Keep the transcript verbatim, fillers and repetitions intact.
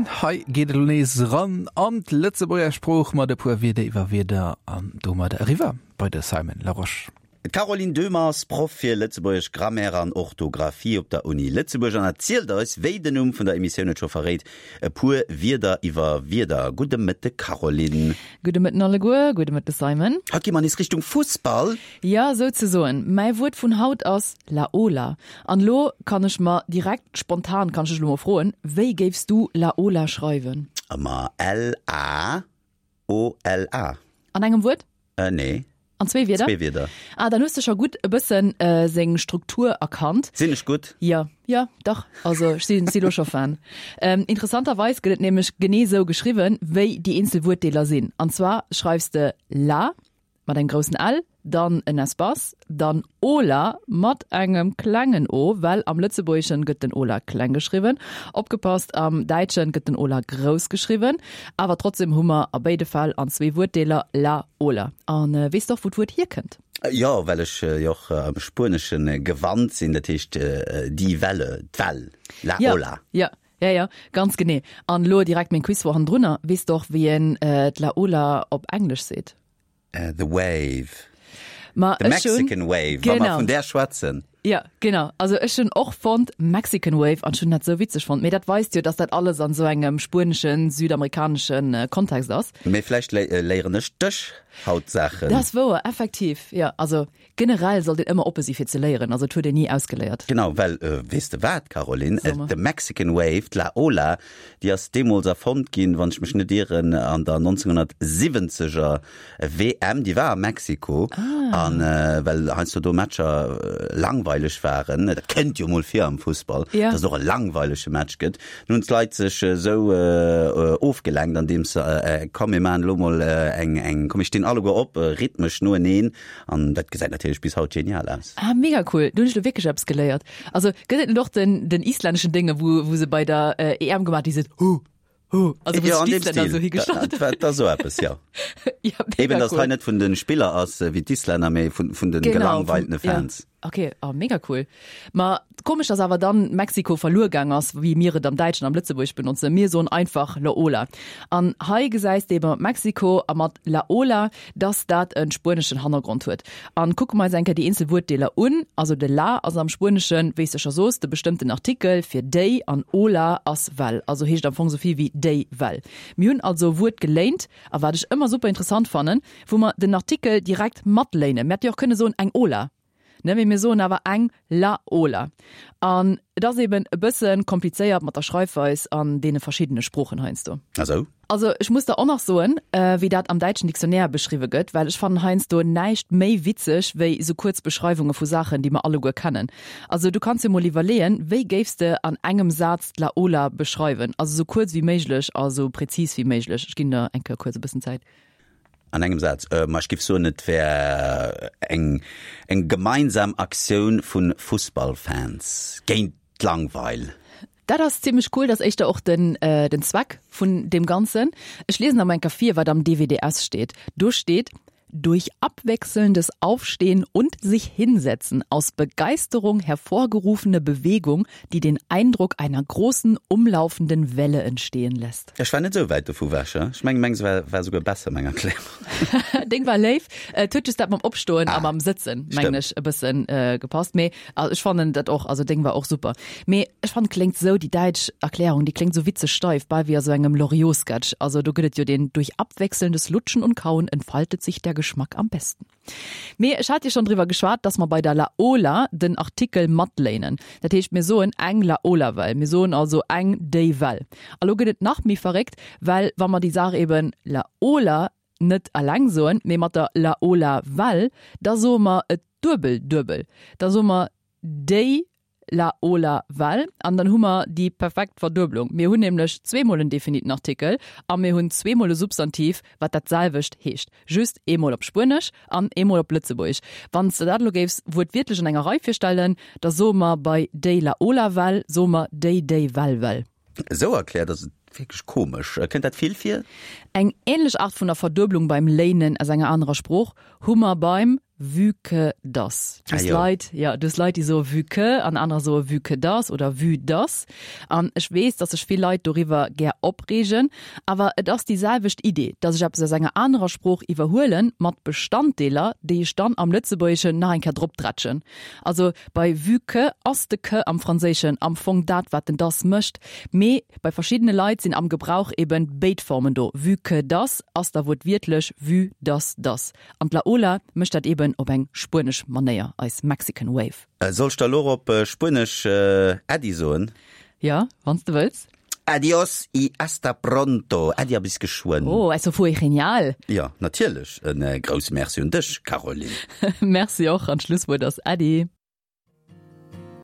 An hei geet et elo nees eran an d'Lëtzebuerger Sprooch mat e puer Wierder iwwer Wierder an domat eriwwer bei de Simon Larosche. D'Caroline Döhmer ass Proff fir Lëtzebuergesch Grammaire an Orthografie op der Uni Lëtzebuerg an erzielt eis, wéi den Numm vun der Emissioun et scho verréit, e puer Wierder iwwer Wierder. Gudde Mëtte Caroline. Gudde Mëtten alleguer, gudde Mëtte Simon. Haut gi mer nees Richtung Fussball. Jo, souzesoen. Mäi Wuert vun haut ass La Ola. An elo kann ech mer direkt spontan, kann ech dech elo mol froen, wéi géifs du La Ola schreiwen? Ma L-A-O-L-A. An engem Wuert? Äh, nee. An zwee Wierder? Zwee Wierder. Ah, dann hues de scho gutt e bëssen seng Struktur erkannt. Sinn ech gutt? Jo, jo, dach. Also ech si si lo scho Fan. Interessanterweis gëtt et nämlech genee sou geschriwwen, wéi déi eenzel Wuertdeeler sinn. An zwar schreifs de la mat engem groussen L, dann en Espace, dann Ola mat engem klengen o, well am Lëtzebuergeschen gëtt den Ola kleng geschriwwen. Opgepasst, am Däitschen gëtt den Ola grouss geschriwwen. Awer trotzdem hu mer a béide Fäll an zwee Wuertdeeler la Ola. An weess de och, wou d'Wuert hierkënnt? Jo, well ech jo och am Spuenesche gewannt sinn, dat heescht die Welle, d'Well, la Ola. Jo, jo, jo, ganz genee. An elo direkt meng Quizfro hannendrunner, Weess de och, wéi een d'la Ola op Englesch seet? The Wave. Ma The ech hun, Mexican Wave, wa mer genau. vun där schwätzen. Ja, genau. Also ech hunn och fonnt Mexican Wave an ech hunn dat sou witzeg fonnt. Mee dat weist jo, dass dat alles an sou engem spueneschen, südamerikaneschen Kontext ass. Mee vläicht léieren ech dech haut Saachen. Dat ass wouer, effektiv. Jo, also generell sollt een ëmmer oppe si fir ze léieren. Also et huet een ni ausgeléiert. Genau, well weess de wat, Caroline? So mer. The Mexican Wave, d'La Ola, déi ass deemools erfonnt ginn, wann ech mech net ieren, an der nonzénghonnertsiwwenzeger W M, déi war a Mexiko. Ah. An well heiansdo do Matcher langweileg waren, dat kënnt jo mol vir am Fussball, Ja. dass et och e langweilege Match gëtt, dann hunn d'Leit sech esou ofgelenkt, andeems se, komm mir maachen elo mol eng, eng, komm mir stinn alleguer op, rhythmesch noeneen. An dat gesäit natierlech bis haut genial aus. Ah, mega cool. Do hunn ech lo wierklech eppes geléiert. Also gëtt et net och den, den islänneschen Dénge, wou, wou se bei der E M gemaach, déi se hu, hu, also wou Jo, sech an deem d'Islänner Stil. esou higestallt Dat, dat ass esou eppes, jo. Ja, mega Eben, dass cool. hei net vun de Spiller ass wéi d'Islänner, mee vun, vun de Genau, vum, gelangweiltene ja. Fans. Ok, oh, mega cool. Ma komesch, dass awer dann Mexiko verluer gaang ass, wéi mir et am Däitschen, am Lëtzebuergesch benotzen. Mir soen einfach La Ola. An hei gesäis de ebe mat Mexiko a mat La Ola, dass dat en spueneschen Hannergrond huet. An kucke mer eis eng Kéier déi eenzel Wuertdeeler un. Also de La ass am Spueneschen, wéi s de scho soos, de bestëmmten Artikel fir déi an Ola ass Well. Also heescht am Fong esou vill wéi déi Well. Mir hunn also e Wuert geléint, a wat ech ëmmer super interessant fannen, wou mer den Artikel direkt matléinen. Mir hätte jo och kënne soen eng Ola. Ne, mee mir soen awer eng La Ola. An et ass eben e bësse komplizéiert mat der Schreifweis an deene verschiddene Sproochen heiansdo. Ah sou? Also ech muss der och nach soen, wéi dat am däitschen Dictionnaire beschriwwe gëtt, well ech fannen heiansdo näischt méi witzeg wéi esou kuerz Beschreiwunge vu Saachen, déi mer alleguer kennen. Also du kanns jo mol iwwerleeën, wéi géifs de an engem Saz d'La Ola beschreiwen? Also esou kuerz wéi méiglech a sou prezis wéi méiglech. Ech ginn der eng Kéier kuerz e bëssen Zäit. An engem Saz? Ma ech giff soen, et wär eng eng gemeinsam Aktioun vu Fussballfans géint d'Langweil. Dat ass zimmlech cool, dat ass éischter och den den Zweck vun deem Ganzen. Ech liesen der mol eng Kéier vir, wat am D W D S steet. Do steet, Durch abwechselndes Aufstehen und sich hinsetzen aus Begeisterung hervorgerufene Bewegung, die den Eindruck einer großen, umlaufenden Welle entstehen lässt. Ech war net esou wäit dovu wech, ech mengen mengs war war souguer besser, meng Erklärung. Deng war léif. Et huet just dat mam Opstoen a Ah, mam Sëtzen, mengen stimmt. ech, e bëssen gepasst. Mee ech fannen dat och, also deng war och super. Mee ech fannen, kléngt esou, déi däitsch Erklärung, déi kléngt esou witzeg steif, bal wéi a sou engem Loriot-Sketch. Also do gëtt et jo deen, Durch abwechselndes Lutschen und Kauen entfaltet sich der Geschmack am besten. Mee ech hat jo schonn driwwer geschwat, dass mer bei der La Ola den Artikel matléinen. Dat heescht, mir soen eng La Ola Well. Mir soen also eng déi Well. A lo gëtt et nach méi verréckt, well wa mer déi Saach eben La Ola net eleng soen, mee mat der La Ola Well, da soe mer et duebel duebel. Da soe mer déi La Ola Well an dann hu mer déi perfekt Verdueblung. Mir hunn nämlech zweemol en definiten Artikel a mir hunn zweemol e Substantiv, wat dat selwecht heescht, just eemol op Spuenesch an eemol op Lëtzebuergesch. Wann s de dat elo géifs wuertwiertlech an enger Rei virstellen, da soe mer bei déi La Ola Well, soe mer déi déi Well Well. Esou erkläert ass et wierklech komesch. Kënnt dat vill vir? Eng änlech Art vun der Verdueblung beim Léinen aus enger anerer Sprooch hu mer beim vu que dass. Du Ah hues jo. Leit, ja, du hues Leit, déi soe vu que an anerer soe vu que dass oder vue dass. An ech weess, dass sech vill Leit doriwwer gär opreegen, awer et ass déi selwecht Idee, dass ech eppes aus enger anerer Sprooch iwwerhuelen, mat Bestanddeeler, déi ech dann am Lëtzebuergeschen nach eng Kéier dropdrätschen. Also bei vu que ass de que am Franséischen am Fong dat, wat den dass mécht, mee bei verschiddene Leit sinn am Gebrauch eben béid Formen do. Vu que dass ass da wuertwiertlech vue dass dass. An d'La Ola mécht dat eben op eng spuenesch Manéier, eis Mexican Wave. Soll ech da lo op Spuenesch Äddi soen? Jo, wann s de wëlls. Adios y hasta pronto. Äddi a bis geschwënn. Oh, eso fue genial! Jo, natierlech. E grousse Merci un dech, Caroline. Merci och, an d'Schlusswuert ass Äddi.